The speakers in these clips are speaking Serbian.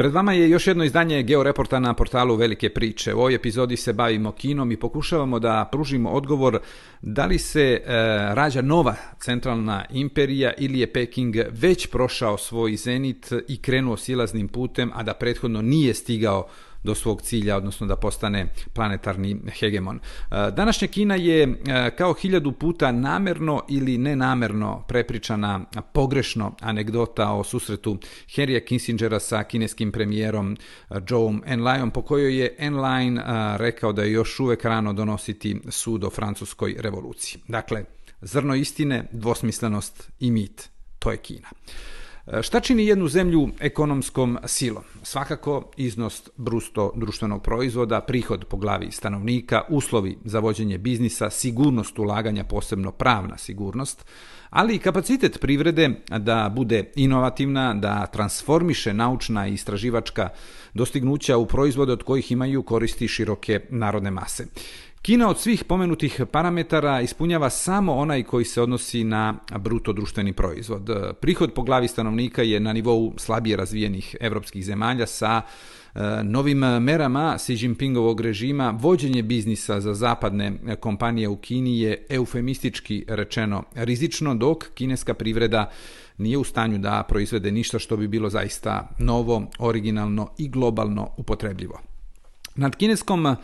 Pred vama je još jedno izdanje Georeporta na portalu Velike priče. U ovoj epizodi se bavimo Kinom i pokušavamo da pružimo odgovor da li se rađa nova centralna imperija ili je Peking već prošao svoj zenit i krenuo silaznim putem, a da prethodno nije stigao do svog cilja, odnosno da postane planetarni hegemon. Današnja Kina je kao 1000 puta namerno ili nenamerno prepričana pogrešno anegdota o susretu Henrya Kissingera sa kineskim premijerom Zhouom Enlaiom, po kojoj je Enlai rekao da je još uvek rano donositi sud o francuskoj revoluciji. Dakle, zrno istine, dvosmislenost i mit. To je Kina. Šta čini jednu zemlju ekonomskom silom? Svakako iznos bruto društvenog proizvoda, prihod po glavi stanovnika, uslovi za vođenje biznisa, sigurnost ulaganja, posebno pravna sigurnost, ali i kapacitet privrede da bude inovativna, da transformiše naučna i istraživačka dostignuća u proizvode od kojih imaju koristi široke narodne mase. Kina od svih pomenutih parametara ispunjava samo onaj koji se odnosi na bruto društveni proizvod. Prihod po glavi stanovnika je na nivou slabije razvijenih evropskih zemalja. Sa novim merama Xi Jinpingovog režima vođenje biznisa za zapadne kompanije u Kini je eufemistički rečeno rizično, dok kineska privreda nije u stanju da proizvede ništa što bi bilo zaista novo, originalno i globalno upotrebljivo. Nad kineskom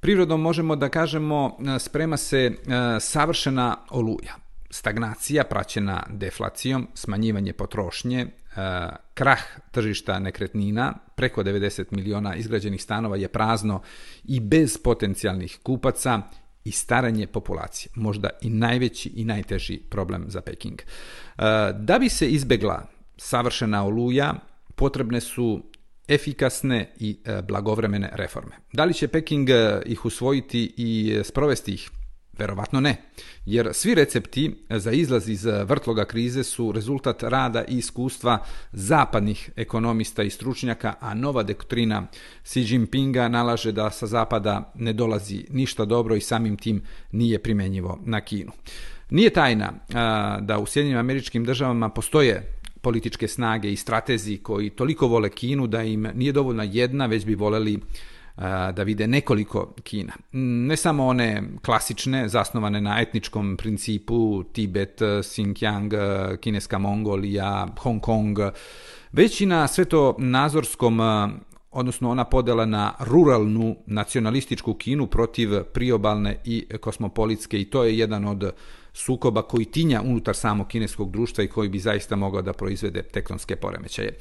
privredom možemo da kažemo sprema se savršena oluja. Stagnacija praćena deflacijom, smanjivanje potrošnje, krah tržišta nekretnina, preko 90 miliona izgrađenih stanova je prazno i bez potencijalnih kupaca i staranje populacije, možda i najveći i najteži problem za Peking. Da bi se izbegla savršena oluja, potrebne su efikasne i blagovremene reforme. Da li će Peking ih usvojiti i sprovesti ih? Verovatno ne, jer svi recepti za izlaz iz vrtloga krize su rezultat rada i iskustva zapadnih ekonomista i stručnjaka, a nova doktrina Xi Jinpinga nalaže da sa zapada ne dolazi ništa dobro i samim tim nije primenjivo na Kinu. Nije tajna da u Sjedinjenim Američkim Državama postoje političke snage i stratezi koji toliko vole Kinu da im nije dovoljna jedna, već bi voleli da vide nekoliko Kina. Ne samo one klasične, zasnovane na etničkom principu, Tibet, Xinjiang, kineska Mongolija, Hong Kong, već i na svetonazorskom, odnosno ona podela na ruralnu nacionalističku Kinu protiv priobalne i kosmopolitske, i to je jedan od sukoba koji tinja unutar samog kineskog društva i koji bi zaista mogao da proizvede tektonske poremećaje.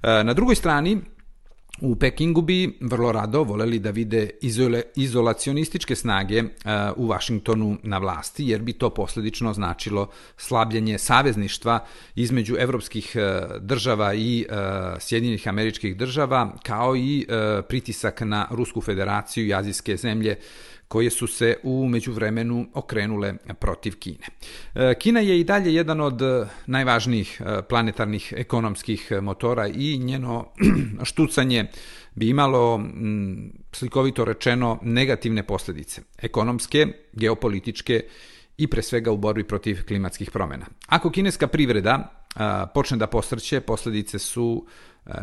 Na drugoj strani, u Pekingu bi vrlo rado voleli da vide izolacionističke snage u Vašingtonu na vlasti, jer bi to posljedično značilo slabljenje savezništva između evropskih država i Sjedinjenih Američkih Država, kao i pritisak na Rusku federaciju i azijske zemlje koje su se u međuvremenu okrenule protiv Kine. Kina je i dalje jedan od najvažnijih planetarnih ekonomskih motora i njeno štucanje bi imalo, slikovito rečeno, negativne posljedice, ekonomske, geopolitičke i pre svega u borbi protiv klimatskih promjena. Ako kineska privreda počne da posrće, posljedice su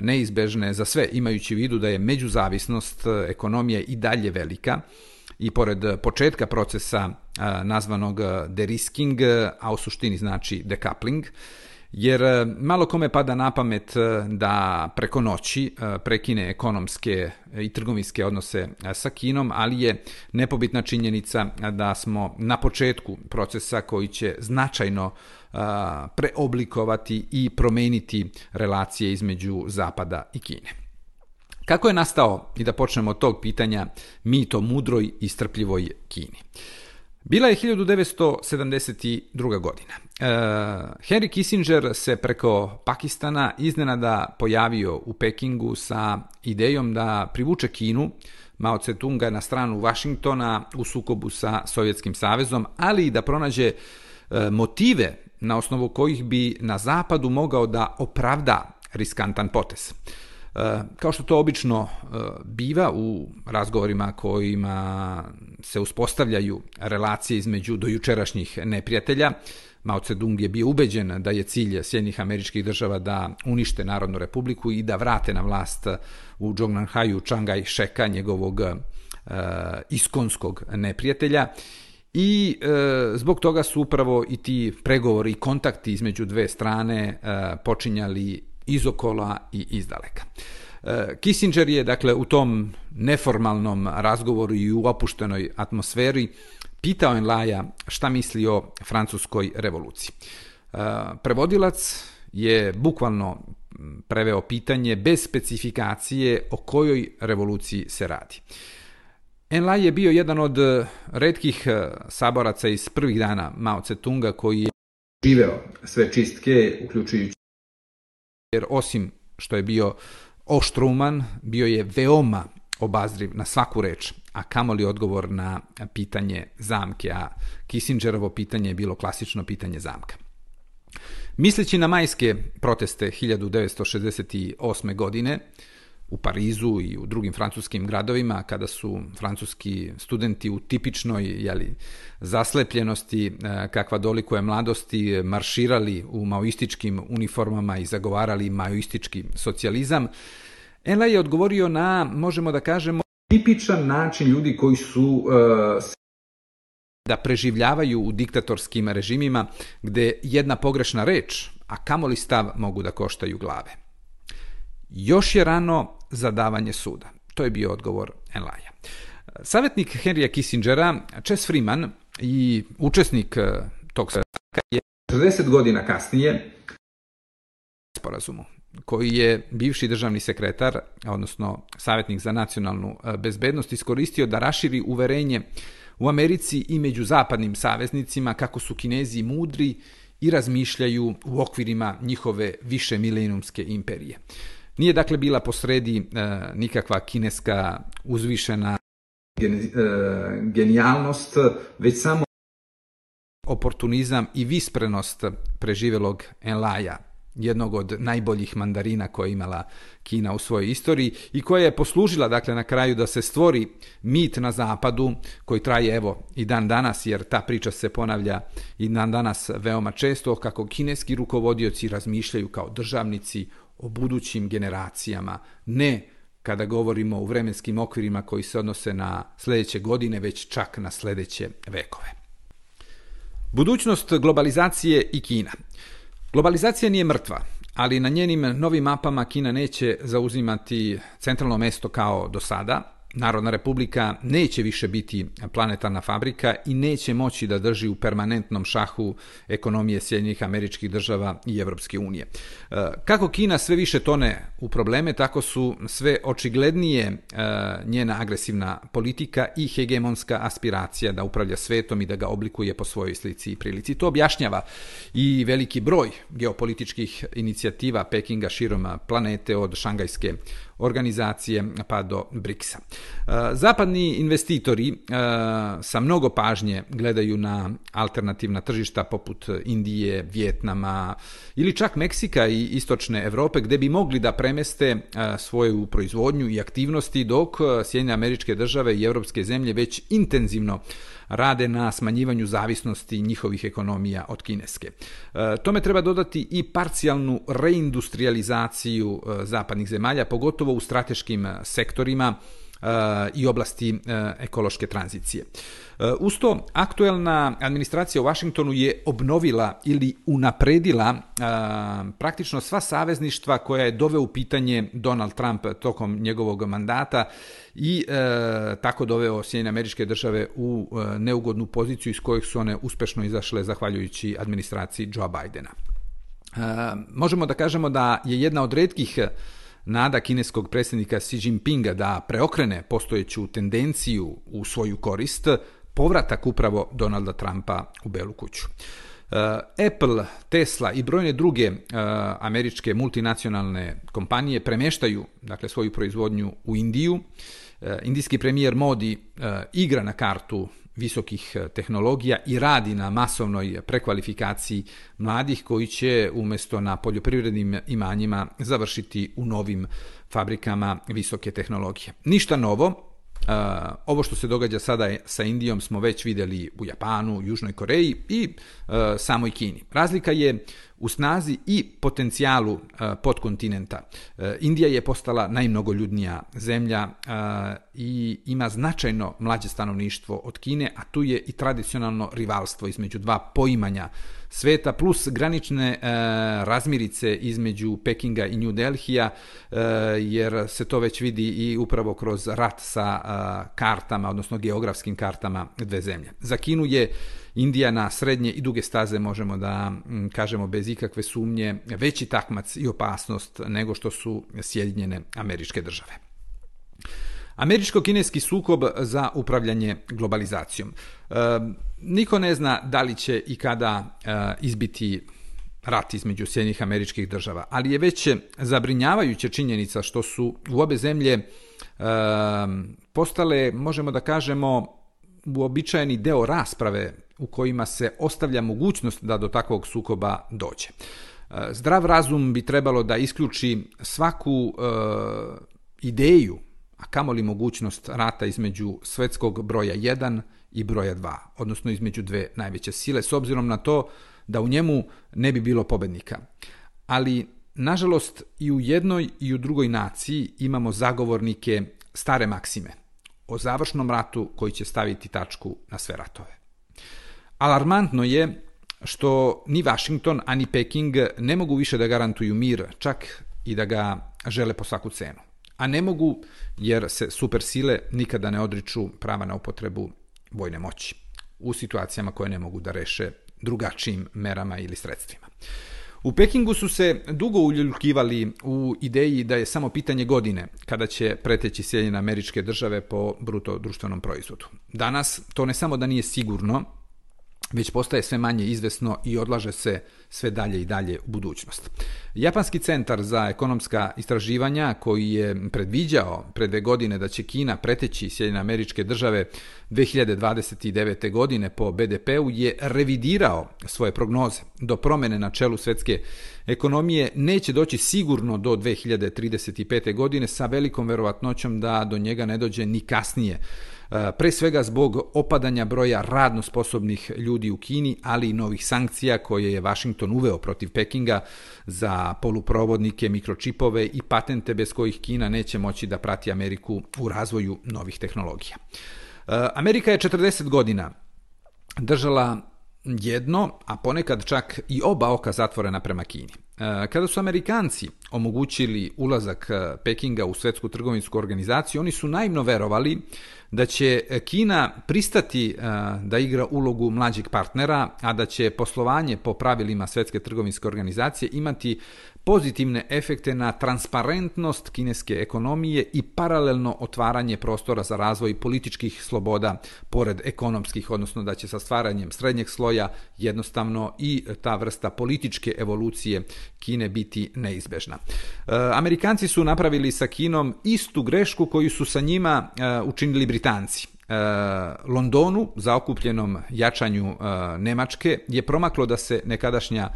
neizbežne za sve, imajući u vidu da je međuzavisnost ekonomije i dalje velika, i pored početka procesa nazvanog derisking, a u suštini znači decoupling, jer malo kome pada na pamet da preko noći prekine ekonomske i trgovinske odnose sa Kinom, ali je nepobitna činjenica da smo na početku procesa koji će značajno preoblikovati i promeniti relacije između Zapada i Kine. Kako je nastao, i da počnemo od tog pitanja, mit o mudroj i strpljivoj Kini? Bila je 1972. godina. Henry Kissinger se preko Pakistana iznenada pojavio u Pekingu sa idejom da privuče Kinu, Mao Tse-tunga, na stranu Vašingtona u sukobu sa Sovjetskim savezom, ali i da pronađe motive na osnovu kojih bi na zapadu mogao da opravda riskantan potez. Kao što to obično biva u razgovorima kojima se uspostavljaju relacije između dojučerašnjih neprijatelja, Mao Tse-dung je bio ubeđen da je cilj Sjedinjenih Američkih Država da unište Narodnu republiku i da vrate na vlast u Džongnanhaju Čang Kaj-šeka, njegovog iskonskog neprijatelja. I zbog toga su upravo i ti pregovori i kontakti između dve strane počinjali izokola i izdaleka. Kissinger je, dakle, u tom neformalnom razgovoru i u opuštenoj atmosferi pitao Enlaja šta misli o francuskoj revoluciji. Prevodilac je bukvalno preveo pitanje bez specifikacije o kojoj revoluciji se radi. Enlai je bio jedan od retkih saboraca iz prvih dana Mao Tse-tunga koji je živeo sve čistke, uključujući, jer osim što je bio oštruman, bio je veoma obazriv na svaku reč, a kamoli odgovor na pitanje zamke, a Kissingerovo pitanje je bilo klasično pitanje zamka. Misleći na majske proteste 1968. godine u Parizu i u drugim francuskim gradovima, kada su francuski studenti u tipičnoj zaslepljenosti kakva dolikuje mladosti marširali u maoističkim uniformama i zagovarali maoistički socijalizam, Enlai je odgovorio na, možemo da kažemo, tipičan način ljudi koji su da preživljavaju u diktatorskim režimima gde jedna pogrešna reč, a kamoli stav, mogu da koštaju glave. Još je rano za davanje suda. To je bio odgovor Enlaija. Savjetnik Henrya Kissingera, Chess Freeman i učesnik tog sastanka je 40 godina kasnije sporazumu koji je bivši državni sekretar, odnosno savjetnik za nacionalnu bezbednost, iskoristio da raširi uverenje u Americi i među zapadnim saveznicima kako su Kinezi mudri i razmišljaju u okvirima njihove višemilenijumske imperije. Nije dakle bila posredi nikakva kineska uzvišena genijalnost, već samo oportunizam i visprenost preživelog Enlaja, jednog od najboljih mandarina koje je imala Kina u svojoj istoriji i koja je poslužila, dakle, na kraju da se stvori mit na zapadu koji traje evo i dan danas, jer ta priča se ponavlja i dan danas veoma često, kako kineski rukovodioci razmišljaju kao državnici o budućim generacijama, ne kada govorimo u vremenskim okvirima koji se odnose na sljedeće godine, već čak na sljedeće vekove. Budućnost globalizacije i Kina. Globalizacija nije mrtva, ali na njenim novim mapama Kina neće zauzimati centralno mesto kao do sada. Narodna republika neće više biti planetarna fabrika i neće moći da drži u permanentnom šahu ekonomije Sjedinjenih Američkih Država i Evropske unije. Kako Kina sve više tone u probleme, tako su sve očiglednije njena agresivna politika i hegemonska aspiracija da upravlja svetom i da ga oblikuje po svojoj slici i prilici. To objašnjava i veliki broj geopolitičkih inicijativa Pekinga širom planete, od Šangajske organizacije pa do BRICS-a. Zapadni investitori sa mnogo pažnje gledaju na alternativna tržišta poput Indije, Vijetnama ili čak Meksika i istočne Evrope, gde bi mogli da premeste svoju proizvodnju i aktivnosti, dok Sjedinjene Američke Države i evropske zemlje već intenzivno rade na smanjivanju zavisnosti njihovih ekonomija od kineske. Tome treba dodati i parcijalnu reindustrializaciju zapadnih zemalja, pogotovo u strateškim sektorima i oblasti ekološke tranzicije. Uz to, aktuelna administracija u Vašingtonu je obnovila ili unapredila praktično sva savezništva koja je doveo u pitanje Donald Trump tokom njegovog mandata i tako doveo Sjedinjene Američke Države u neugodnu poziciju iz kojih su one uspešno izašle zahvaljujući administraciji Joea Bidena. Možemo da kažemo da je jedna od retkih nada kineskog predsjednika Xi Jinpinga da preokrene postojeću tendenciju u svoju korist povratak upravo Donalda Trumpa u Belu kuću. Apple, Tesla i brojne druge američke multinacionalne kompanije premeštaju, dakle, svoju proizvodnju u Indiju. Indijski premijer Modi igra na kartu visokih tehnologija i radi na masovnoj prekvalifikaciji mladih koji će umjesto na poljoprivrednim imanjima završiti u novim fabrikama visoke tehnologije. Ništa novo. Ovo što se događa sada sa Indijom smo već vidjeli u Japanu, Južnoj Koreji i samoj Kini. Razlika je u snazi i potencijalu podkontinenta. Indija je postala najmnogoljudnija zemlja i ima značajno mlađe stanovništvo od Kine, a tu je i tradicionalno rivalstvo između dva poimanja sveta, plus granične razmirice između Pekinga i New Delhija, jer se to već vidi i upravo kroz rat sa kartama, odnosno geografskim kartama dve zemlje. Za Kinu je Indija na srednje i duge staze, možemo da kažemo bez ikakve sumnje, veći takmac i opasnost nego što su Sjedinjene Američke Države. Američko-kineski sukob za upravljanje globalizacijom. Niko ne zna da li će i kada izbiti rat između Sjedinjenih Američkih Država, ali je već zabrinjavajuća činjenica što su u obe zemlje postale, možemo da kažemo, uobičajeni deo rasprave u kojima se ostavlja mogućnost da do takvog sukoba dođe. Zdrav razum bi trebalo da isključi svaku ideju, a kamoli mogućnost rata između svetskog broja 1 i broja 2, odnosno između dve najveće sile, s obzirom na to da u njemu ne bi bilo pobednika. Ali, nažalost, i u jednoj i u drugoj naciji imamo zagovornike stare maksime o završnom ratu koji će staviti tačku na sve ratove. Alarmantno je što ni Washington, ani Peking ne mogu više da garantuju mir, čak i da ga žele po svaku cenu. A ne mogu jer se supersile nikada ne odriču prava na upotrebu vojne moći u situacijama koje ne mogu da reše drugačijim merama ili sredstvima. U Pekingu su se dugo uljuljkivali u ideji da je samo pitanje godine kada će preteći Sjedinjene Američke Države po bruto društvenom proizvodu. Danas to ne samo da nije sigurno, već postaje sve manje izvesno i odlaže se sve dalje i dalje u budućnost. Japanski centar za ekonomska istraživanja, koji je predviđao pre 2 godine da će Kina preteći Sjedinjene Američke Države 2029. godine po BDP-u, je revidirao svoje prognoze. Do promene na čelu svetske ekonomije neće doći sigurno do 2035. godine, sa velikom verovatnoćom da do njega ne dođe ni kasnije. Pre svega zbog opadanja broja radno sposobnih ljudi u Kini, ali i novih sankcija koje je Washington uveo protiv Pekinga za poluprovodnike, mikročipove i patente bez kojih Kina neće moći da prati Ameriku u razvoju novih tehnologija. Amerika je 40 godina držala jedno, a ponekad čak i oba oka zatvorena prema Kini. Kada su Amerikanci omogućili ulazak Pekinga u Svetsku trgovinsku organizaciju, oni su naivno verovali da će Kina pristati da igra ulogu mlađeg partnera, a da će poslovanje po pravilima Svetske trgovinske organizacije imati pozitivne efekte na transparentnost kineske ekonomije i paralelno otvaranje prostora za razvoj političkih sloboda pored ekonomskih, odnosno da će sa stvaranjem srednjeg sloja jednostavno i ta vrsta političke evolucije Kine biti neizbežna. Amerikanci su napravili sa Kinom istu grešku koju su sa njima učinili Britanci. Londonu, zaokupljenom jačanju Nemačke, je promaklo da se nekadašnja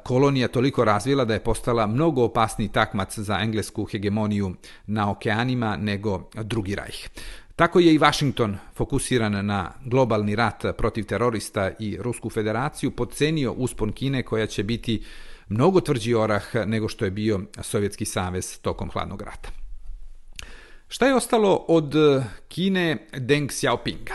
kolonija toliko razvila da je postala mnogo opasniji takmac za englesku hegemoniju na okeanima nego Drugi rajh. Tako je i Washington, fokusiran na globalni rat protiv terorista i Rusku federaciju, podcenio uspon Kine koja će biti mnogo tvrđi orah nego što je bio Sovjetski savez tokom hladnog rata. Šta je ostalo od Kine Deng Xiaopinga?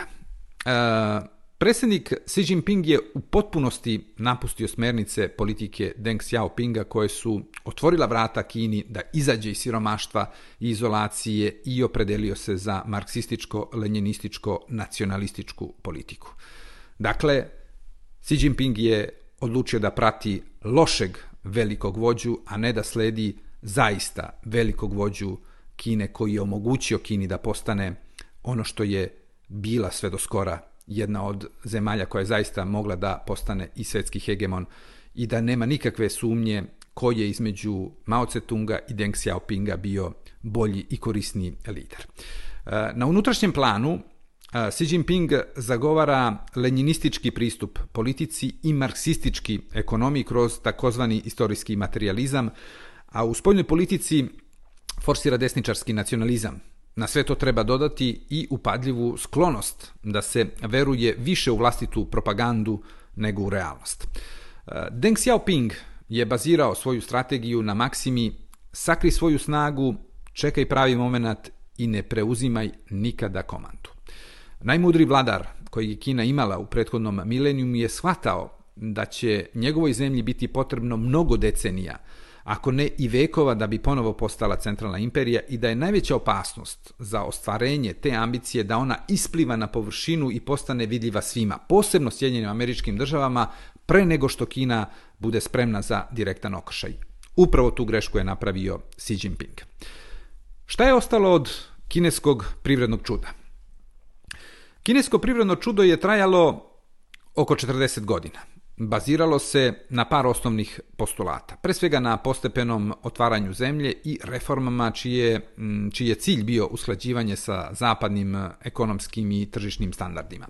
Predsjednik Xi Jinping je u potpunosti napustio smernice politike Deng Xiaopinga koje su otvorila vrata Kini da izađe iz siromaštva i izolacije i opredelio se za marksističko-lenjinističko-nacionalističku politiku. Dakle, Xi Jinping je odlučio da prati lošeg velikog vođu, a ne da sledi zaista velikog vođu Kine koji je omogućio Kini da postane ono što je bila sve do skora jedna od zemalja koja je zaista mogla da postane i svetski hegemon i da nema nikakve sumnje ko je između Mao Tse-tunga i Deng Xiaopinga bio bolji i korisniji lider. Na unutrašnjem planu Xi Jinping zagovara lenjinistički pristup politici i marksistički ekonomiji kroz takozvani istorijski materializam, a u spoljnoj politici forsira desničarski nacionalizam. Na sve to treba dodati i upadljivu sklonost da se veruje više u vlastitu propagandu nego u realnost. Deng Xiaoping je bazirao svoju strategiju na maksimi sakri svoju snagu, čekaj pravi moment i ne preuzimaj nikada komandu. Najmudriji vladar koji je Kina imala u prethodnom milenijumu je shvatao da će njegovoj zemlji biti potrebno mnogo decenija, ako ne i vekova, da bi ponovo postala centralna imperija i da je najveća opasnost za ostvarenje te ambicije da ona ispliva na površinu i postane vidljiva svima, posebno Sjedinjenim Američkim Državama, pre nego što Kina bude spremna za direktan okršaj. Upravo tu grešku je napravio Xi Jinping. Šta je ostalo od kineskog privrednog čuda? Kinesko privredno čudo je trajalo oko 40 godina. Baziralo se na par osnovnih postulata. Pre svega na postepenom otvaranju zemlje i reformama čiji je cilj bio usklađivanje sa zapadnim ekonomskim i tržišnim standardima.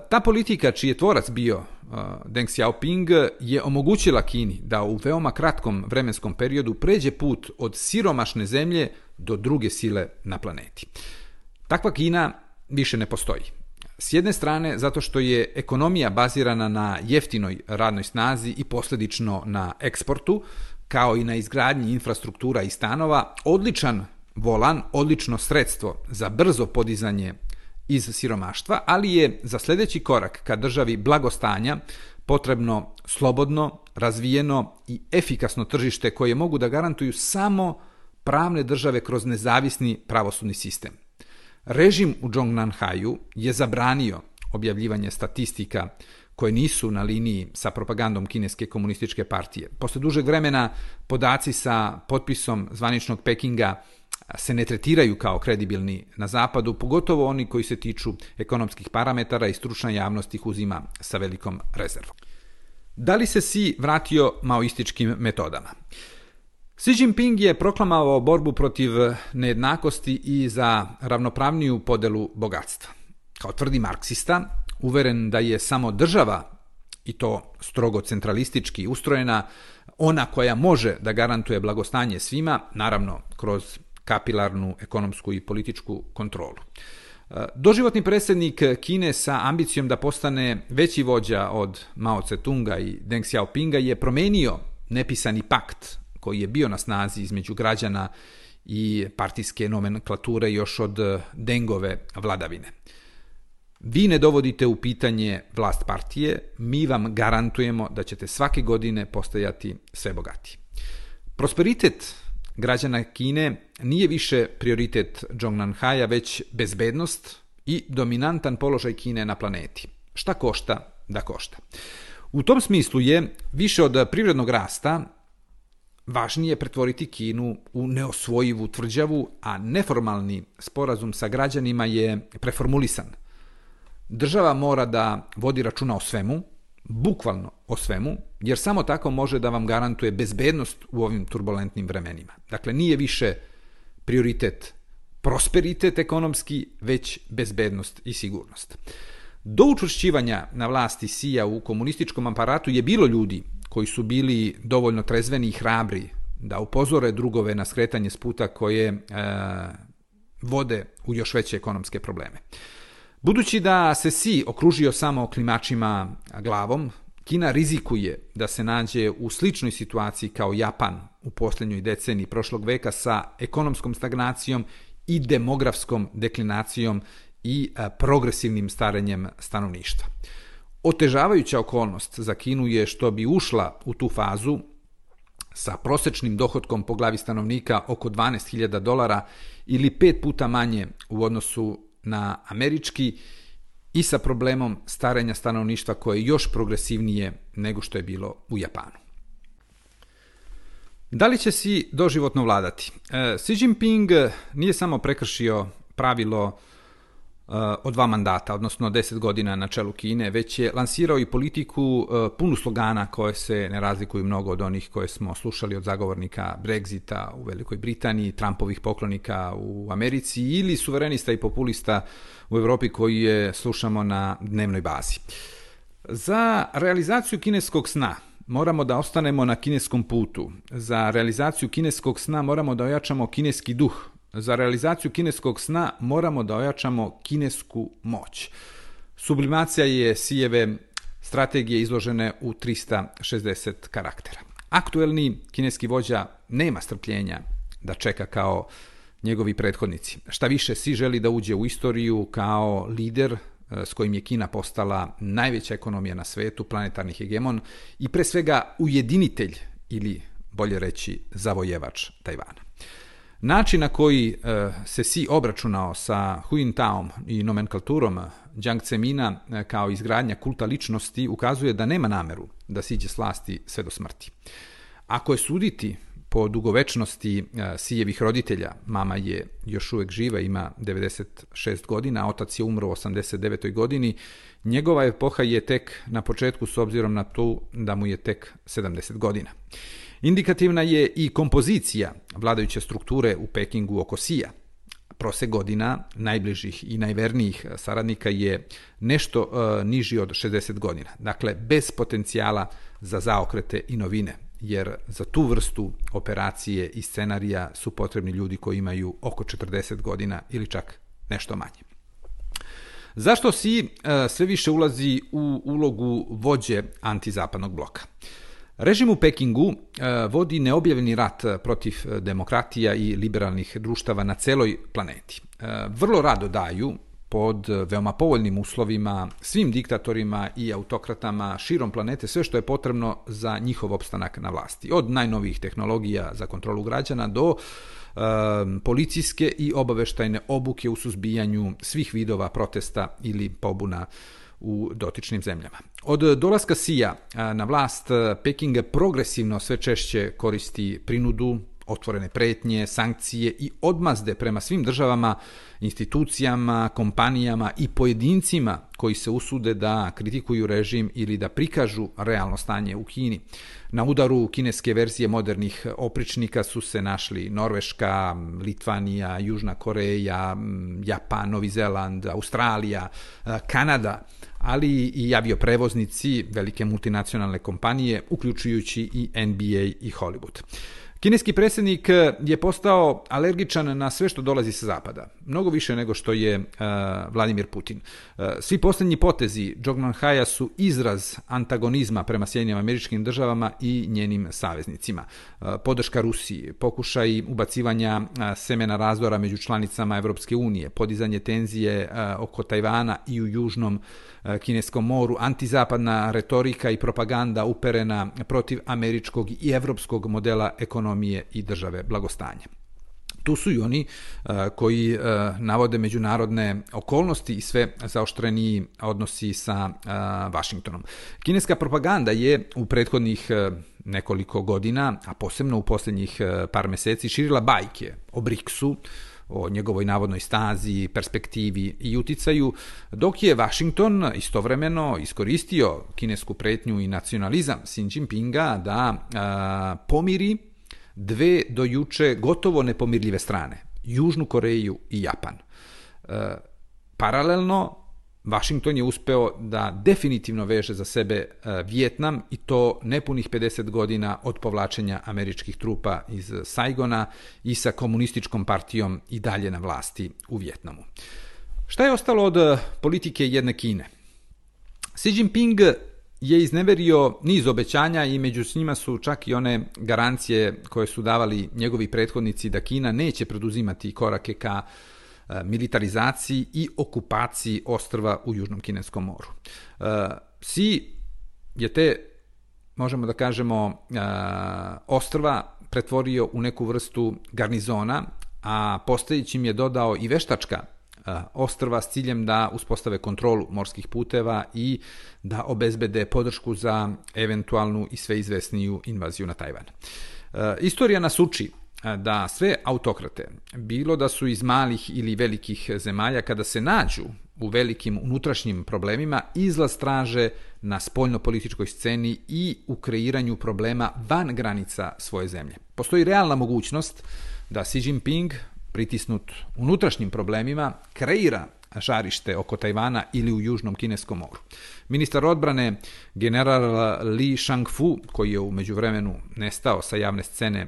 Ta politika, čiji je tvorac bio Deng Xiaoping, je omogućila Kini da u veoma kratkom vremenskom periodu pređe put od siromašne zemlje do druge sile na planeti. Takva Kina više ne postoji. S jedne strane, zato što je ekonomija bazirana na jeftinoj radnoj snazi i posljedično na eksportu, kao i na izgradnji infrastruktura i stanova, odličan volan, odlično sredstvo za brzo podizanje iz siromaštva, ali je za sljedeći korak ka državi blagostanja potrebno slobodno, razvijeno i efikasno tržište koje mogu da garantuju samo pravne države kroz nezavisni pravosudni sistem. Režim u Zhongnanhaju je zabranio objavljivanje statistika koje nisu na liniji sa propagandom Kineske komunističke partije. Posle dužeg vremena podaci sa potpisom zvaničnog Pekinga se ne tretiraju kao kredibilni na zapadu, pogotovo oni koji se tiču ekonomskih parametara i stručna javnost ih uzima sa velikom rezervom. Da li se Xi vratio maoističkim metodama? Xi Jinping je proklamovao borbu protiv nejednakosti i za ravnopravniju podelu bogatstva. Kao tvrdi marksista, uveren da je samo država, i to strogo centralistički ustrojena, ona koja može da garantuje blagostanje svima, naravno kroz kapilarnu ekonomsku i političku kontrolu. Doživotni predsjednik Kine sa ambicijom da postane veći vođa od Mao Tse-tunga i Deng Xiaopinga je promenio nepisani pakt koji je bio na snazi između građana i partijske nomenklature još od Dengove vladavine. Vi ne dovodite u pitanje vlast partije, mi vam garantujemo da ćete svake godine postajati sve bogatiji. Prosperitet građana Kine nije više prioritet Zhongnanhaja, već bezbednost i dominantan položaj Kine na planeti. Šta košta, da košta. U tom smislu je više od privrednog rasta važnije pretvoriti Kinu u neosvojivu tvrđavu, a neformalni sporazum sa građanima je preformulisan. Država mora da vodi računa o svemu, bukvalno o svemu, jer samo tako može da vam garantuje bezbednost u ovim turbulentnim vremenima. Dakle, nije više prioritet prosperitet ekonomski, već bezbednost i sigurnost. Do učvršćivanja na vlasti Xija u komunističkom aparatu je bilo ljudi koji su bili dovoljno trezveni i hrabri da upozore drugove na skretanje s puta koje vode u još veće ekonomske probleme. Budući da se Xi okružio samo klimačima glavom, Kina rizikuje da se nađe u sličnoj situaciji kao Japan u posljednjoj deceniji prošlog veka sa ekonomskom stagnacijom i demografskom deklinacijom i progresivnim starenjem stanovništva. Otežavajuća okolnost za Kinu je što bi ušla u tu fazu sa prosečnim dohotkom po glavi stanovnika oko $12.000 ili 5 puta manje u odnosu na američki i sa problemom starenja stanovništva koje je još progresivnije nego što je bilo u Japanu. Da li će Xi doživotno vladati? Xi Jinping nije samo prekršio pravilo od 2 mandata, odnosno 10 godina na čelu Kine, već je lansirao i politiku punu slogana koje se ne razlikuju mnogo od onih koje smo slušali od zagovornika Brexita u Velikoj Britaniji, Trumpovih poklonika u Americi ili suverenista i populista u Europi koji je slušamo na dnevnoj bazi. Za realizaciju kineskog sna moramo da ostanemo na kineskom putu. Za realizaciju kineskog sna moramo da ojačamo kineski duh. Za realizaciju kineskog sna moramo da ojačamo kinesku moć. Sublimacija je Xijeve strategije izložene u 360 karaktera. Aktuelni kineski vođa nema strpljenja da čeka kao njegovi prethodnici. Šta više, Xi želi da uđe u istoriju kao lider s kojim je Kina postala najveća ekonomija na svetu, planetarni hegemon i pre svega ujedinitelj ili bolje reći zavojevač Tajvana. Način na koji se Xi obračunao sa Hu Jintaom i nomenklaturom Jiang Zemina kao izgradnja kulta ličnosti ukazuje da nema nameru da siđe s vlasti sve do smrti. Ako je suditi po dugovečnosti Xijevih roditelja, mama je još uvek živa, ima 96 godina, a otac je umro u 89. godini, njegova epoha je tek na početku s obzirom na to da mu je tek 70 godina. Indikativna je i kompozicija vladajuće strukture u Pekingu oko Xija. Prosek godina najbližih i najvernijih saradnika je nešto niži od 60 godina. Dakle, bez potencijala za zaokrete i novine, jer za tu vrstu operacije i scenarija su potrebni ljudi koji imaju oko 40 godina ili čak nešto manje. Zašto Xi sve više ulazi u ulogu vođe antizapadnog bloka? Režim u Pekingu vodi neobjavljeni rat protiv demokratija i liberalnih društava na celoj planeti. Vrlo rado daju pod veoma povoljnim uslovima svim diktatorima i autokratama širom planete sve što je potrebno za njihov opstanak na vlasti. Od najnovijih tehnologija za kontrolu građana do policijske i obaveštajne obuke u suzbijanju svih vidova protesta ili pobuna u dotičnim zemljama. Od dolaska Xija na vlast, Peking progresivno sve češće koristi prinudu, otvorene pretnje, sankcije i odmazde prema svim državama, institucijama, kompanijama i pojedincima koji se usude da kritikuju režim ili da prikažu realno stanje u Kini. Na udaru kineske verzije modernih opričnika su se našli Norveška, Litvanija, Južna Koreja, Japan, Novi Zeland, Australija, Kanada, ali i avioprevoznici, velike multinacionalne kompanije, uključujući i NBA i Hollywood. Kineski predsjednik je postao alergičan na sve što dolazi sa zapada, mnogo više nego što je Vladimir Putin. Svi posljednji potezi Zhongmanhaja su izraz antagonizma prema Sjedinjenim Američkim Državama i njenim saveznicima. Podrška Rusiji, pokušaj ubacivanja semena razdora među članicama Evropske unije, podizanje tenzije oko Tajvana i u Južnom Kineskom moru, antizapadna retorika i propaganda uperena protiv američkog i evropskog modela ekonomije i države blagostanja. Tu su i oni koji navode međunarodne okolnosti i sve zaoštreniji odnosi sa Vašingtonom. Kineska propaganda je u prethodnih nekoliko godina, a posebno u posljednjih par meseci, širila bajke o BRICS-u, o njegovoj navodnoj stazi, perspektivi i uticaju, dok je Vašington istovremeno iskoristio kinesku pretnju i nacionalizam Xi Jinpinga da pomiri dve do juče gotovo nepomirljive strane, Južnu Koreju i Japan. Paralelno, Vašington je uspeo da definitivno veže za sebe Vijetnam i to nepunih 50 godina od povlačenja američkih trupa iz Saigona i sa komunističkom partijom i dalje na vlasti u Vijetnamu. Šta je ostalo od politike jedne Kine? Xi Jinping je izneverio niz obećanja i među njima su čak i one garancije koje su davali njegovi prethodnici da Kina neće preduzimati korake ka militarizaciji i okupaciji ostrva u Južnom Kineskom moru. Xi je te, možemo da kažemo, ostrva pretvorio u neku vrstu garnizona, a postojećim je dodao i veštačka ostrva s ciljem da uspostave kontrolu morskih puteva i da obezbede podršku za eventualnu i sve izvesniju invaziju na Tajvan. Istorija nas uči da sve autokrate, bilo da su iz malih ili velikih zemalja, kada se nađu u velikim unutrašnjim problemima, izlaz traže na spoljnopolitičkoj sceni i u kreiranju problema van granica svoje zemlje. Postoji realna mogućnost da Xi Jinping, pritisnut unutrašnjim problemima, kreira žarište oko Tajvana ili u Južnom Kineskom moru. Ministar odbrane general Li Shangfu, koji je u međuvremenu nestao sa javne scene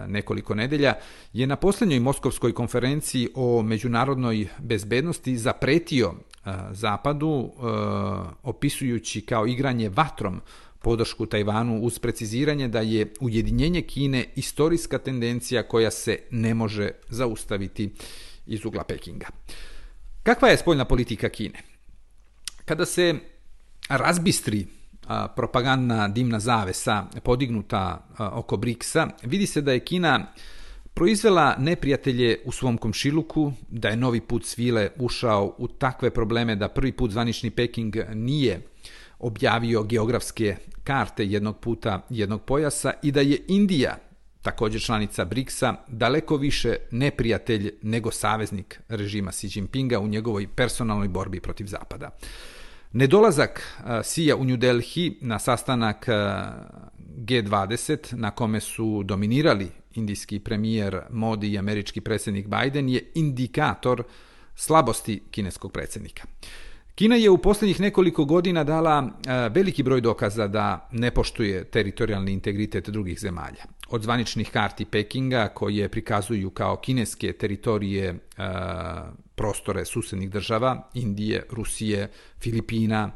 nekoliko nedelja, je na posljednjoj Moskovskoj konferenciji o međunarodnoj bezbednosti zapretio Zapadu, opisujući kao igranje vatrom podršku Tajvanu uz preciziranje da je ujedinjenje Kine istorijska tendencija koja se ne može zaustaviti iz ugla Pekinga. Kakva je spoljna politika Kine? Kada se razbistri propagandna dimna zavesa podignuta oko BRICS-a, vidi se da je Kina proizvela neprijatelje u svom komšiluku, da je novi put svile ušao u takve probleme da prvi put zvanični Peking nije objavio geografske karte jednog puta, jednog pojasa i da je Indija, također članica BRICS-a, daleko više neprijatelj nego saveznik režima Xi Jinpinga u njegovoj personalnoj borbi protiv Zapada. Nedolazak Xija u New Delhi na sastanak G20, na kome su dominirali indijski premijer Modi i američki predsjednik Biden, je indikator slabosti kineskog predsjednika. Kina je u posljednjih nekoliko godina dala veliki broj dokaza da ne poštuje teritorijalni integritet drugih zemalja. Od zvaničnih karti Pekinga, koje prikazuju kao kineske teritorije prostore susednih država, Indije, Rusije, Filipina,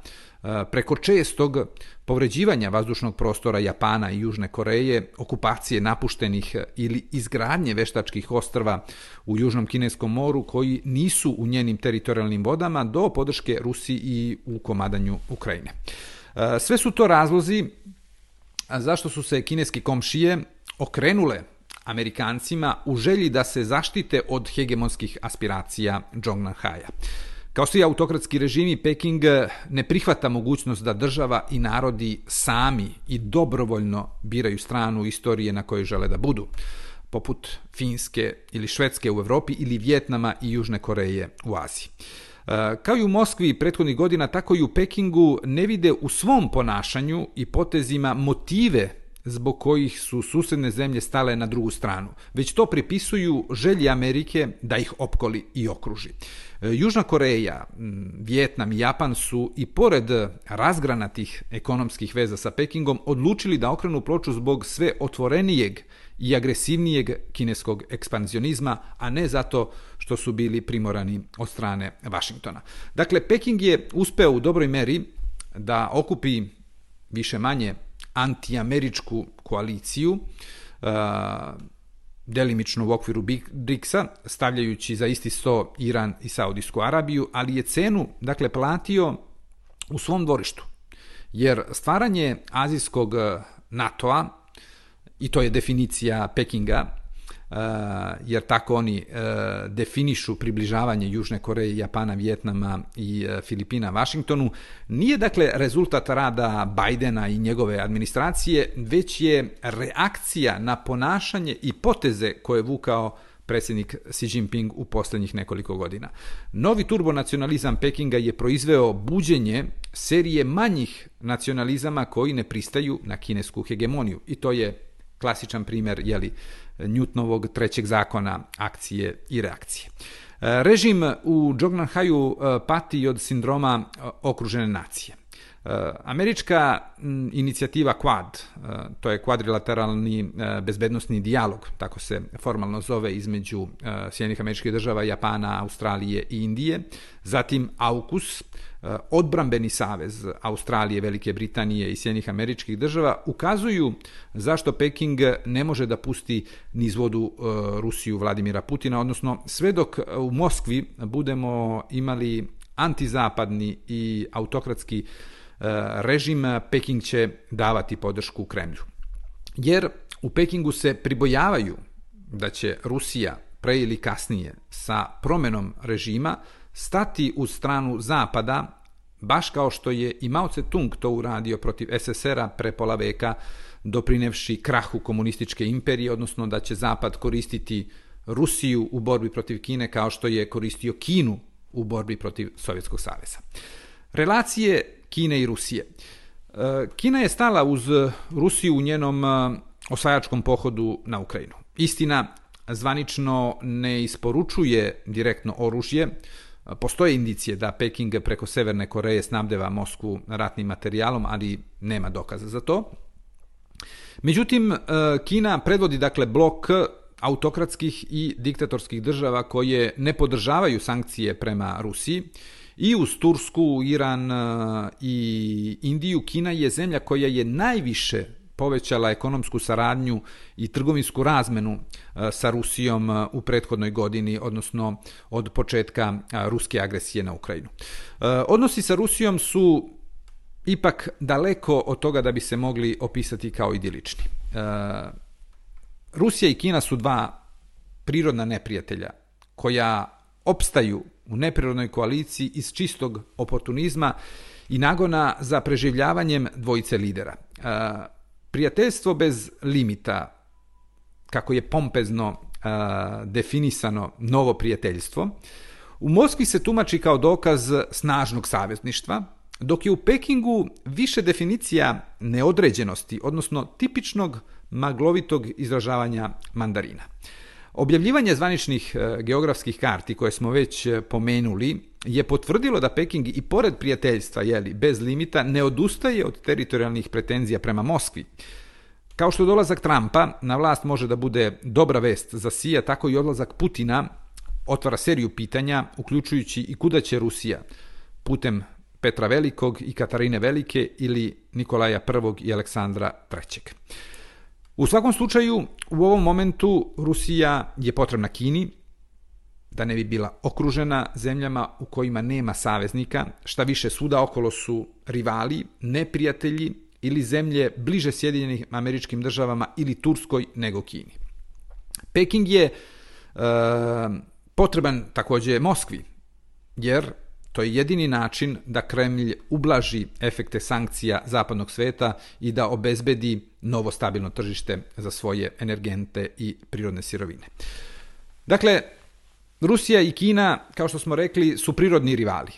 preko čestog povređivanja vazdušnog prostora Japana i Južne Koreje, okupacije napuštenih ili izgradnje veštačkih ostrva u Južnom Kineskom moru koji nisu u njenim teritorijalnim vodama, do podrške Rusiji i u komadanju Ukrajine. Sve su to razlozi zašto su se kineski komšije okrenule Amerikancima u želji da se zaštite od hegemonskih aspiracija Zhongnanhaja. Kao svi autokratski režimi, Peking ne prihvata mogućnost da država i narodi sami i dobrovoljno biraju stranu istorije na kojoj žele da budu, poput Finske ili Švedske u Evropi ili Vijetnama i Južne Koreje u Aziji. Kao i u Moskvi prethodnih godina, tako i u Pekingu ne vide u svom ponašanju i potezima motive zbog kojih su susedne zemlje stale na drugu stranu, već to pripisuju želji Amerike da ih opkoli i okruži. Južna Koreja, Vijetnam i Japan su i pored razgranatih ekonomskih veza sa Pekingom odlučili da okrenu ploču zbog sve otvorenijeg i agresivnijeg kineskog ekspanzionizma, a ne zato što su bili primorani od strane Vašingtona. Dakle, Peking je uspeo u dobroj meri da okupi više manje antiameričku koaliciju, delimično u okviru BRICS-a, stavljajući za isti sto Iran i Saudijsku Arabiju, ali je cenu, dakle, platio u svom dvorištu. Jer stvaranje azijskog NATO-a, i to je definicija Pekinga, jer tako oni definišu približavanje Južne Koreje, Japana, Vijetnama i Filipina Vašingtonu, nije dakle rezultat rada Bidena i njegove administracije, već je reakcija na ponašanje i poteze koje je vukao predsjednik Xi Jinping u posljednjih nekoliko godina. Novi turbonacionalizam Pekinga je proizveo buđenje serije manjih nacionalizama koji ne pristaju na kinesku hegemoniju, i to je klasičan primjer, Newtonovog trećeg zakona akcije i reakcije. Režim u Zhongnanhaju pati od sindroma okružene nacije. Američka inicijativa Quad, to je kvadrilateralni bezbednosni dijalog, tako se formalno zove, između Sjedinjenih Američkih Država, Japana, Australije i Indije, zatim AUKUS, odbrambeni savez Australije, Velike Britanije i Sjedinjenih Američkih Država, ukazuju zašto Peking ne može da pusti niz vodu Rusiju Vladimira Putina, odnosno sve dok u Moskvi budemo imali antizapadni i autokratski režim, Peking će davati podršku Kremlju. Jer u Pekingu se pribojavaju da će Rusija pre ili kasnije sa promjenom režima stati u stranu Zapada baš kao što je i Mao Tse-tung to uradio protiv SSR-a pre pola veka, doprinevši krahu komunističke imperije, odnosno da će Zapad koristiti Rusiju u borbi protiv Kine kao što je koristio Kinu u borbi protiv Sovjetskog saveza. Relacije Kine i Rusije. Kina je stala uz Rusiju u njenom osvajačkom pohodu na Ukrajinu. Istina, zvanično ne isporučuje direktno oružje. Postoje indicije da Peking preko Severne Koreje snabdeva Moskvu ratnim materijalom, ali nema dokaza za to. Međutim, Kina predvodi dakle blok autokratskih i diktatorskih država koje ne podržavaju sankcije prema Rusiji. I uz Tursku, Iran i Indiju, Kina je zemlja koja je najviše povećala ekonomsku saradnju i trgovinsku razmenu sa Rusijom u prethodnoj godini, odnosno od početka ruske agresije na Ukrajinu. Odnosi sa Rusijom su ipak daleko od toga da bi se mogli opisati kao idilični. Rusija i Kina su dva prirodna neprijatelja koja opstaju u neprirodnoj koaliciji iz čistog oportunizma i nagona za preživljavanjem dvojice lidera. Prijateljstvo bez limita, kako je pompezno definisano novo prijateljstvo, u Moskvi se tumači kao dokaz snažnog savezništva, dok je u Pekingu više definicija neodređenosti, odnosno tipičnog maglovitog izražavanja mandarina. Objavljivanje zvaničnih geografskih karti koje smo već pomenuli je potvrdilo da Peking i pored prijateljstva bez limita ne odustaje od teritorijalnih pretenzija prema Moskvi. Kao što dolazak Trumpa na vlast može da bude dobra vest za Sija, tako i odlazak Putina otvara seriju pitanja, uključujući i kuda će Rusija, putem Petra Velikog i Katarine Velike ili Nikolaja I i Aleksandra III. U svakom slučaju, u ovom momentu Rusija je potrebna Kini, da ne bi bila okružena zemljama u kojima nema saveznika, šta više svuda okolo su rivali, neprijatelji ili zemlje bliže Sjedinjenim Američkim Državama ili Turskoj nego Kini. Peking je potreban također Moskvi, jer to je jedini način da Kremlj ublaži efekte sankcija zapadnog sveta i da obezbedi novo stabilno tržište za svoje energente i prirodne sirovine. Dakle, Rusija i Kina, kao što smo rekli, su prirodni rivali.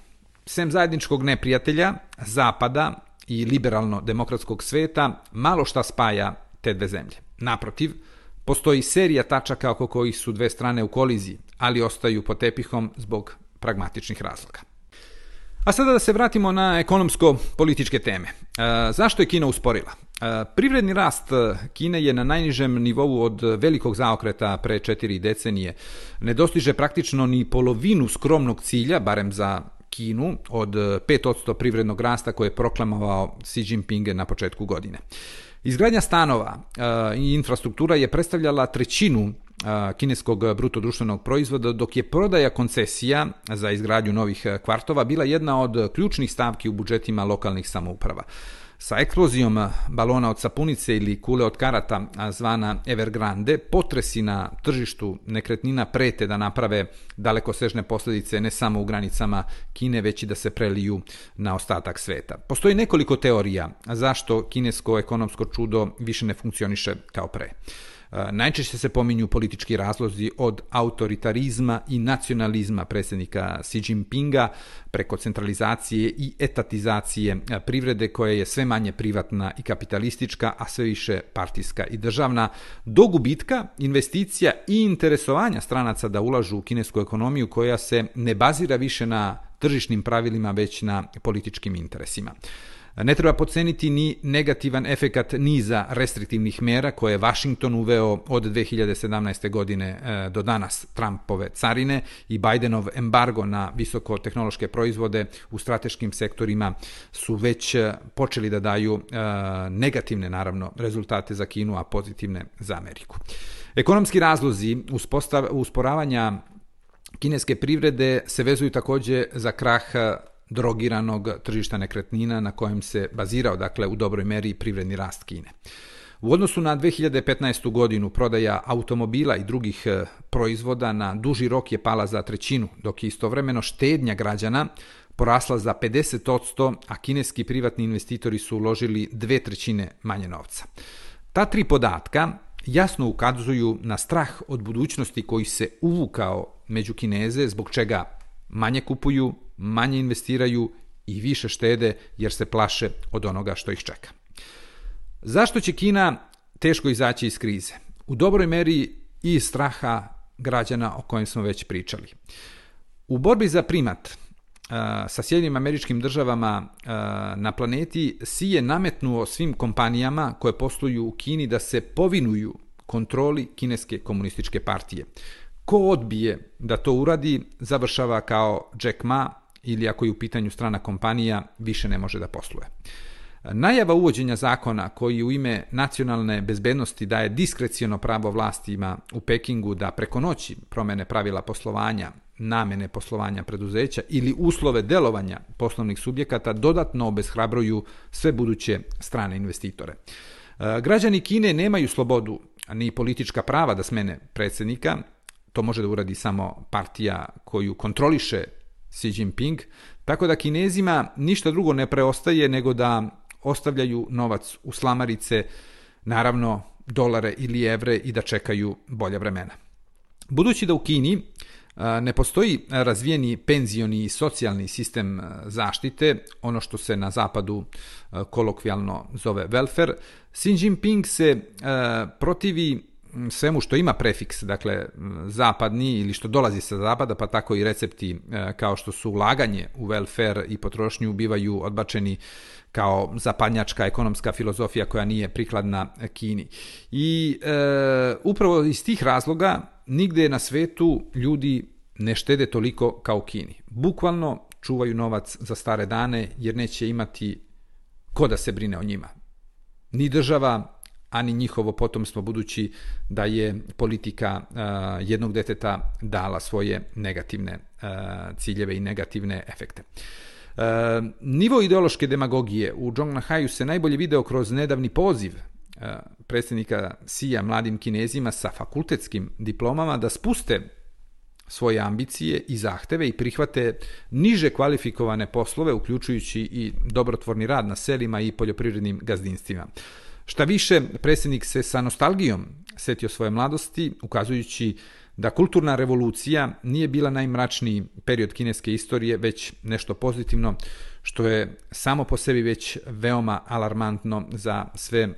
Sem zajedničkog neprijatelja, Zapada i liberalno-demokratskog sveta, malo šta spaja te dve zemlje. Naprotiv, postoji serija tačaka oko kojih su dve strane u koliziji, ali ostaju pod tepihom zbog pragmatičnih razloga. A sada da se vratimo na ekonomsko-političke teme. Zašto je Kina usporila? Privredni rast Kine je na najnižem nivou od velikog zaokreta pre 4 decenije. Ne dostiže praktično ni polovinu skromnog cilja, barem za Kinu, od 5% privrednog rasta koje je proklamovao Xi Jinping na početku godine. Izgradnja stanova i infrastruktura je predstavljala trećinu kineskog brutodruštvenog proizvoda, dok je prodaja koncesija za izgradnju novih kvartova bila jedna od ključnih stavki u budžetima lokalnih samouprava. Sa eksplozijom balona od sapunice ili kule od karata zvana Evergrande, potresi na tržištu nekretnina prete da naprave dalekosežne posljedice ne samo u granicama Kine, već i da se preliju na ostatak sveta. Postoji nekoliko teorija zašto kinesko ekonomsko čudo više ne funkcioniše kao pre. Najčešće se pominju politički razlozi od autoritarizma i nacionalizma predsjednika Xi Jinpinga preko centralizacije i etatizacije privrede koja je sve manje privatna i kapitalistička, a sve više partijska i državna, do gubitka investicija i interesovanja stranaca da ulažu u kinesku ekonomiju koja se ne bazira više na tržišnim pravilima, već na političkim interesima. Ne treba podceniti ni negativan efekat niza restriktivnih mera koje je Washington uveo od 2017. godine do danas. Trumpove carine i Bidenov embargo na visokotehnološke proizvode u strateškim sektorima su već počeli da daju negativne, naravno, rezultate za Kinu, a pozitivne za Ameriku. Ekonomski razlozi usporavanja kineske privrede se vezuju također za krah drogiranog tržišta nekretnina na kojem se bazirao, dakle, u dobroj meri privredni rast Kine. U odnosu na 2015. godinu prodaja automobila i drugih proizvoda na duži rok je pala za trećinu, dok je istovremeno štednja građana porasla za 50%, a kineski privatni investitori su uložili 2/3 manje novca. Ta tri podatka jasno ukazuju na strah od budućnosti koji se uvukao među Kineze, zbog čega manje kupuju, manje investiraju i više štede jer se plaše od onoga što ih čeka. Zašto će Kina teško izaći iz krize? U dobroj meri i straha građana o kojem smo već pričali. U borbi za primat sa Sjedinjenim Američkim Državama na planeti Xi je nametnuo svim kompanijama koje posluju u Kini da se povinuju kontroli kineske komunističke partije. Ko odbije da to uradi, završava kao Jack Ma ili ako je u pitanju strana kompanija, više ne može da posluje. Najava uvođenja zakona koji u ime nacionalne bezbednosti daje diskreciono pravo vlastima u Pekingu da preko noći promene pravila poslovanja, namene poslovanja preduzeća ili uslove delovanja poslovnih subjekata dodatno obeshrabruju sve buduće strane investitore. Građani Kine nemaju slobodu ni politička prava da smene predsjednika, to može da uradi samo partija koju kontroliše Xi Jinping, tako da Kinezima ništa drugo ne preostaje nego da ostavljaju novac u slamarice, naravno dolare ili evre, i da čekaju bolja vremena. Budući da u Kini ne postoji razvijeni penzioni i socijalni sistem zaštite, ono što se na zapadu kolokvijalno zove welfare, Xi Jinping se protivi svemu što ima prefiks, dakle zapadni ili što dolazi sa zapada, pa tako i recepti kao što su ulaganje u welfare i potrošnju bivaju odbačeni kao zapadnjačka ekonomska filozofija koja nije prikladna Kini. I upravo iz tih razloga nigde na svetu ljudi ne štede toliko kao u Kini. Bukvalno čuvaju novac za stare dane jer neće imati ko da se brine o njima. Ni država, ani njihovo potomstvo, budući da je politika jednog deteta dala svoje negativne ciljeve i negativne efekte. Nivo ideološke demagogije u Zhongnanhaju se najbolje video kroz nedavni poziv predsjednika Xija mladim Kinezima sa fakultetskim diplomama da spuste svoje ambicije i zahteve i prihvate niže kvalifikovane poslove, uključujući i dobrotvorni rad na selima i poljoprivrednim gazdinstvima. Šta više, predsjednik se sa nostalgijom setio svoje mladosti, ukazujući da kulturna revolucija nije bila najmračniji period kineske istorije, već nešto pozitivno, što je samo po sebi već veoma alarmantno za sve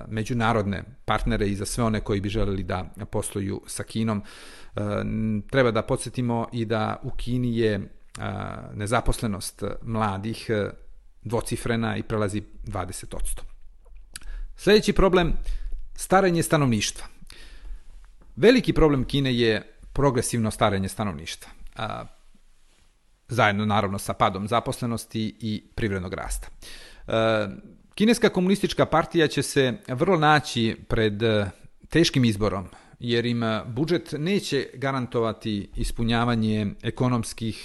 međunarodne partnere i za sve one koji bi želeli da posluju sa Kinom. Treba da podsjetimo i da u Kini je nezaposlenost mladih dvocifrena i prelazi 20%. Sljedeći problem, starenje stanovništva. Veliki problem Kine je progresivno starenje stanovništva, zajedno naravno sa padom zaposlenosti i privrednog rasta. Kineska komunistička partija će se vrlo naći pred teškim izborom, jer im budžet neće garantovati ispunjavanje ekonomskih,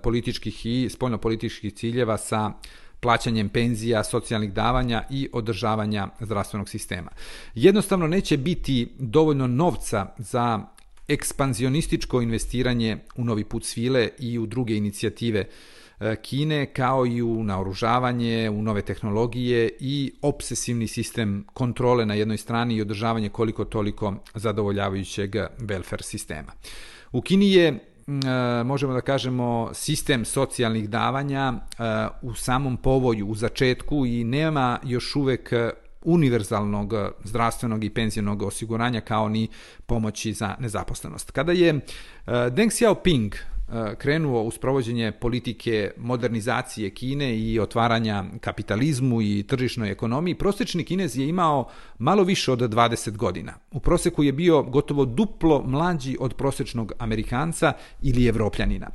političkih i spoljnopolitičkih ciljeva sa plaćanjem penzija, socijalnih davanja i održavanja zdravstvenog sistema. Jednostavno neće biti dovoljno novca za ekspanzionističko investiranje u novi put svile i u druge inicijative Kine, kao i u naoružavanje, u nove tehnologije i obsesivni sistem kontrole na jednoj strani i održavanje koliko toliko zadovoljavajućeg welfare sistema. U Kini je, možemo da kažemo, sistem socijalnih davanja u samom povoju, u začetku, i nema još uvek univerzalnog zdravstvenog i penzionog osiguranja, kao ni pomoći za nezaposlenost. Kada je Deng Xiaoping krenuo u sprovođenje politike modernizacije Kine i otvaranja kapitalizmu i tržišnoj ekonomiji, prosječni Kinez je imao malo više od 20 godina. U proseku je bio gotovo duplo mlađi od prosječnog Amerikanca ili Evropljanina.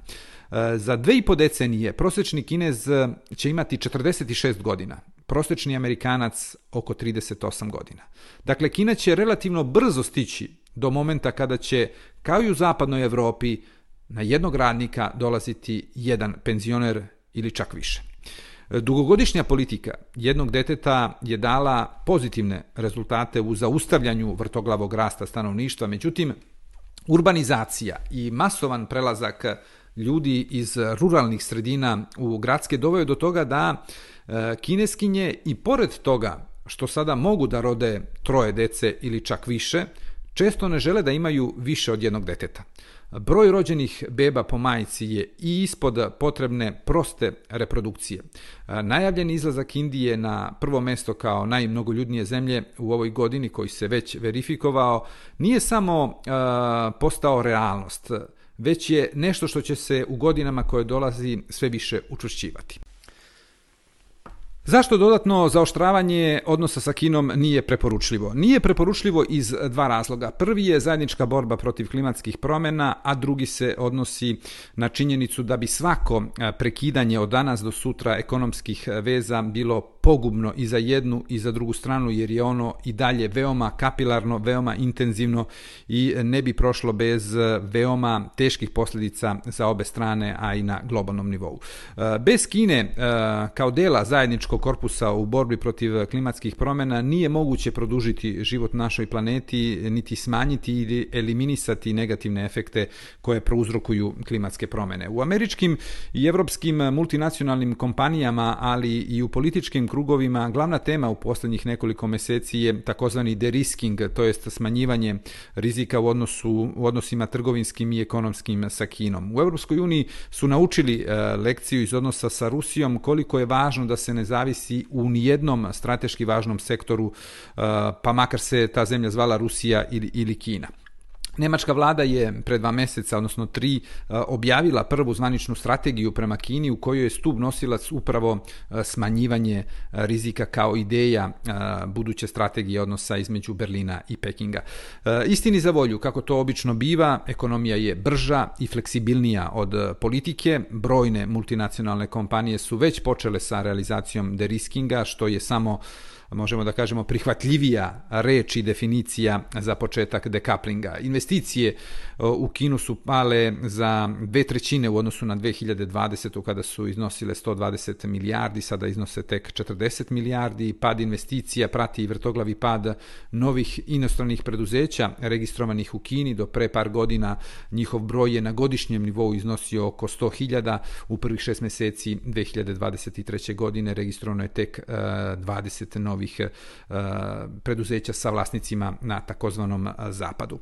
Za 2,5 decenije prosječni Kinez će imati 46 godina, prosječni Amerikanac oko 38 godina. Dakle, Kina će relativno brzo stići do momenta kada će, kao i u zapadnoj Evropi, na jednog radnika dolaziti jedan penzioner ili čak više. Dugogodišnja politika jednog deteta je dala pozitivne rezultate u zaustavljanju vrtoglavog rasta stanovništva, međutim, urbanizacija i masovan prelazak ljudi iz ruralnih sredina u gradske doveo do toga da Kineskinje i pored toga što sada mogu da rode 3 dece ili čak više, često ne žele da imaju više od jednog deteta. Broj rođenih beba po majci je i ispod potrebne proste reprodukcije. Najavljen izlazak Indije na prvo mesto kao najmnogoljudnije zemlje u ovoj godini, koji se već verifikovao, nije samo postao realnost, već je nešto što će se u godinama koje dolazi sve više učvršćivati. Zašto dodatno zaoštravanje odnosa sa Kinom nije preporučljivo? Nije preporučljivo iz 2 razloga. Prvi je zajednička borba protiv klimatskih promjena, a drugi se odnosi na činjenicu da bi svako prekidanje od danas do sutra ekonomskih veza bilo pogubno i za jednu i za drugu stranu, jer je ono i dalje veoma kapilarno, veoma intenzivno i ne bi prošlo bez veoma teških posljedica za obe strane, a i na globalnom nivou. Bez Kine kao dela zajedničkog korpusa u borbi protiv klimatskih promjena nije moguće produžiti život našoj planeti, niti smanjiti ili eliminisati negativne efekte koje prouzrokuju klimatske promjene. U američkim i evropskim multinacionalnim kompanijama, ali i u političkim krugovima, glavna tema u posljednjih nekoliko mjeseci je takozvani de-risking, to jest smanjivanje rizika u odnosima trgovinskim i ekonomskim sa Kinom. U Europskoj uniji su naučili lekciju iz odnosa sa Rusijom koliko je važno da se ne zavisi u nijednom strateški važnom sektoru, pa makar se ta zemlja zvala Rusija ili Kina. Nemačka vlada je pred 2 mjeseca, odnosno 3, objavila prvu zvaničnu strategiju prema Kini u kojoj je stup nosilac upravo smanjivanje rizika kao ideja buduće strategije odnosa između Berlina i Pekinga. Istini za volju, kako to obično biva, ekonomija je brža i fleksibilnija od politike. Brojne multinacionalne kompanije su već počele sa realizacijom de-riskinga, što je samo, možemo da kažemo, prihvatljivija reč i definicija za početak dekaplinga. Investicije u Kinu su pale za 2/3 u odnosu na 2020. kada su iznosile 120 milijardi, sada iznose tek 40 milijardi. Pad investicija prati i vrtoglavi pad novih inostranih preduzeća registrovanih u Kini. Do pre par godina njihov broj je na godišnjem nivou iznosio oko 100.000. U prvih 6 mjeseci 2023. godine registrovano je tek 20 novih preduzeća sa vlasnicima na takozvanom zapadu.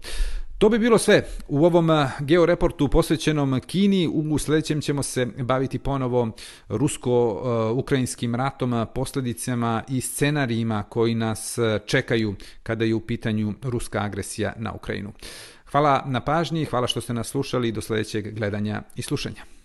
To bi bilo sve u ovom georeportu posvećenom Kini. U sljedećem ćemo se baviti ponovo rusko-ukrajinskim ratom, posljedicama i scenarijima koji nas čekaju kada je u pitanju ruska agresija na Ukrajinu. Hvala na pažnji, hvala što ste nas slušali, do sljedećeg gledanja i slušanja.